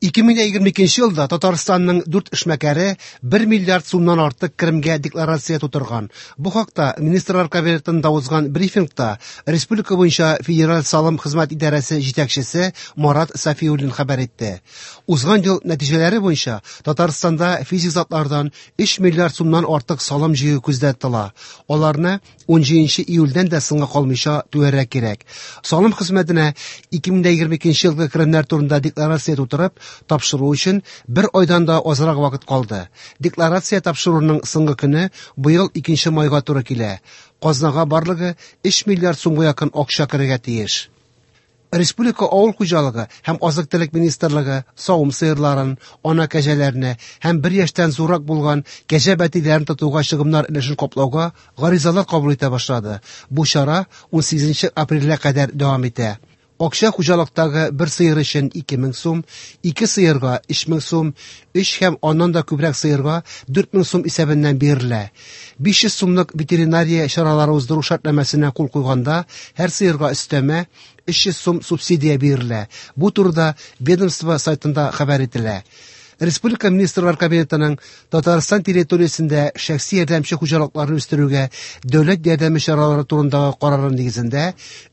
2022 елда Татарстанның дүрт эшмәкәре 1 миллиард сумнан артык керемгә декларация тутырган. Бу хакта Министрлар Кабинетында узган брифингта республика буенча Федераль салым хезмәт идарәсе җитәкчесе Марат Сафиуллин хәбәр итте. Узган ел нәтиҗәләре буенча Татарстанда физик затлардан 3 миллиард сумнан артык салым җыю күздә тотыла. Аларны 17 июльдән дә соңга калмыйча түләргә кирәк. Салым хезмәтенә 2022 елгы керемнәр турында декларация тутырып, тапшыру өчен бер айдан да азрак вакыт калды. Декларация тапшыруның соңгы көне быел 2 майга туры килә. Казнага барлыгы 3 миллиард сумга якын акча керергә тиеш. Республика авыл хуҗалыгы һәм азык-төлек министрлыгы савым сыерларын, ана кәҗәләрне һәм бер яшьтән зуррак булган кәҗә бәтиләрен тотуга чыгымнар өлешен каплауга гаризалар кабул итә башлады. Бу чара 18 апрельгә кадәр дәвам итә. Акча хуҗалыктагы бер сыер өчен 2000 сум, ике сыерга 3000 сум, өч һәм аннан да күбрәк сыерга 4000 сум исәбеннән бирелә. 500 сумлык ветеринария чаралары уздыру шартнамәсенә кул куйганда һәр сыерга өстәмә 300 сум субсидия бирелә. Бу турыда ведомство сайтында хәбәр ителә. Республика Министрлар Кабинетының Татарстан территориясендә шәхси ярдәмче хуҗалыкларны үстерүгә дәүләт ярдәме чаралары турындагы карары нигезендә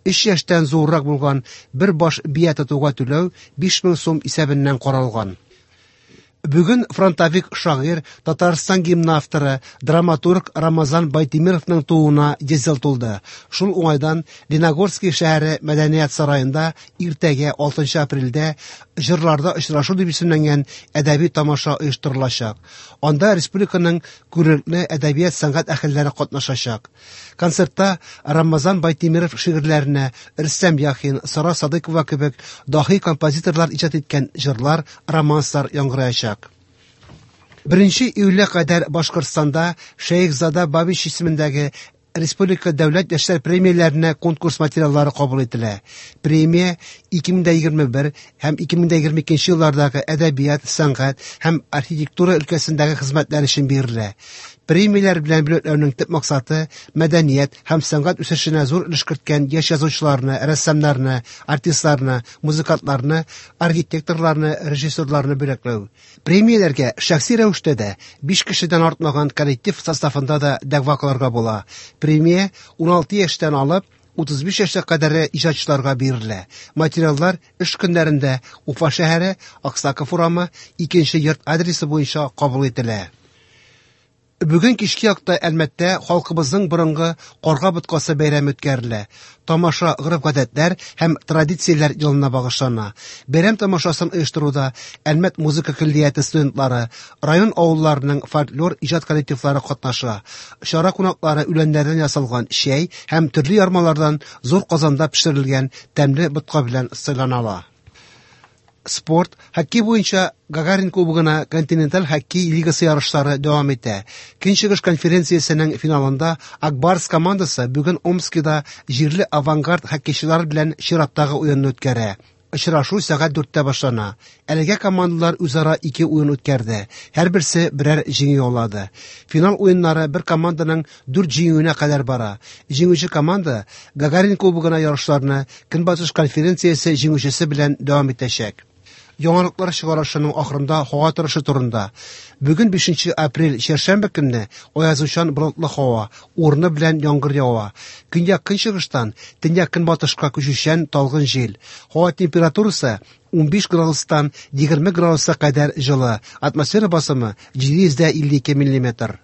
3 яшьтән зуррак булган бер баш бия тотуга түләү 5000 сум исәбеннән каралган. Бүген фронтовик шагыйрь, Татарстан гимны авторы, драматург Рамазан Байтимировның тууына 100 ел тулды. Шул уңайдан Леногорский шәһәре мәдәният сараенда иртәгә 6 апрельдә Җырларда очрашу дип исемләнгән әдәби тамаша оештырылачак. Анда республиканың күренекле әдәбият сәнгать әһелләре катнашачак. Концертта Рамазан Байтимиров шигырьләренә Рөстәм Яхин, Сара Садыйкова кебек даһи композиторлар иҗат иткән җырлар, романслар яңгыраячак. 1 июльгә кадәр Башкортстанда Шәехзада Бабич исемендәге Республика дәүләт яшьләр премияләренә конкурс материаллары кабул ителә. Премия 2021 һәм 2022 еллардагы әдәбият, сәнгать һәм архитектура өлкәсендәге хезмәтләр өчен бирелә. Премияләр белән бүләкләүнең төп максаты мәдәният һәм сәнгать үсешенә зур өлеш керткән яшь язучыларны, рәссамнарны, артистларны, музыкантларны, архитекторларны, режиссерларны бүләкләү. Премияләргә шәхси рәвештә дә, 5 кешедән артмаган коллектив составында да дәгъва кылырга була. Премия 16 яшьтән алып 35 яшькә кадәр иҗатчыларга бирелә. Материаллар эш көннәрендә Уфа шәһәре, Аксаков урамы, 2 йорт адресы буенча кабул ителә. Бүген кичке якта Әлмәттә халкыбызның борынгы Карга боткасы бәйрәме үткәрелә. Тамаша гореф-гадәтләр һәм традицияләр елына багышлана. Бәйрәм тамашасын оештыруда Әлмәт музыка көллияте студентлары, район авылларының фольклор иҗат коллективлары катнаша. Чара кунаклары үләннәрдән ясалган чәй һәм төрле ярмалардан зур казанда пешерелгән тәмле ботка белән сыйланалар. Спорт, хоккей буенча Гагарин кубогына континенталь хоккей лигасы ярышлары дәвам итә. Көнчыгыш конференциясенең финалында Акбарс командасы бүген Омскида җирле Авангард хоккейчылары белән чираттагы уенны үткәрә. Очрашу сәгать 4-тә башлана. Әлегә командалар үзара ике уен үткәрде. Һәрберсе берәр җиңү яулады. Финал уеннары бер команданың 4 җиңүенә кадәр бара. Җиңүче команда Гагарин кубогына ярышларны Көнбатыш конференциясе җиңүчесе белән дәвам итәчәк. Яңалыклар чыгарышының ахырында һава торышы турында. Бүген 5 апрель чәршәмбе көнне аязучан болытлы һава, урыны белән яңгыр ява. Көньяк көнчыгыштан төньяк көнбатышка күчүчән талгын җил. Һава температурасы 15 градустан 20 градуска кадәр җылы. Атмосфера басымы 752 миллиметр.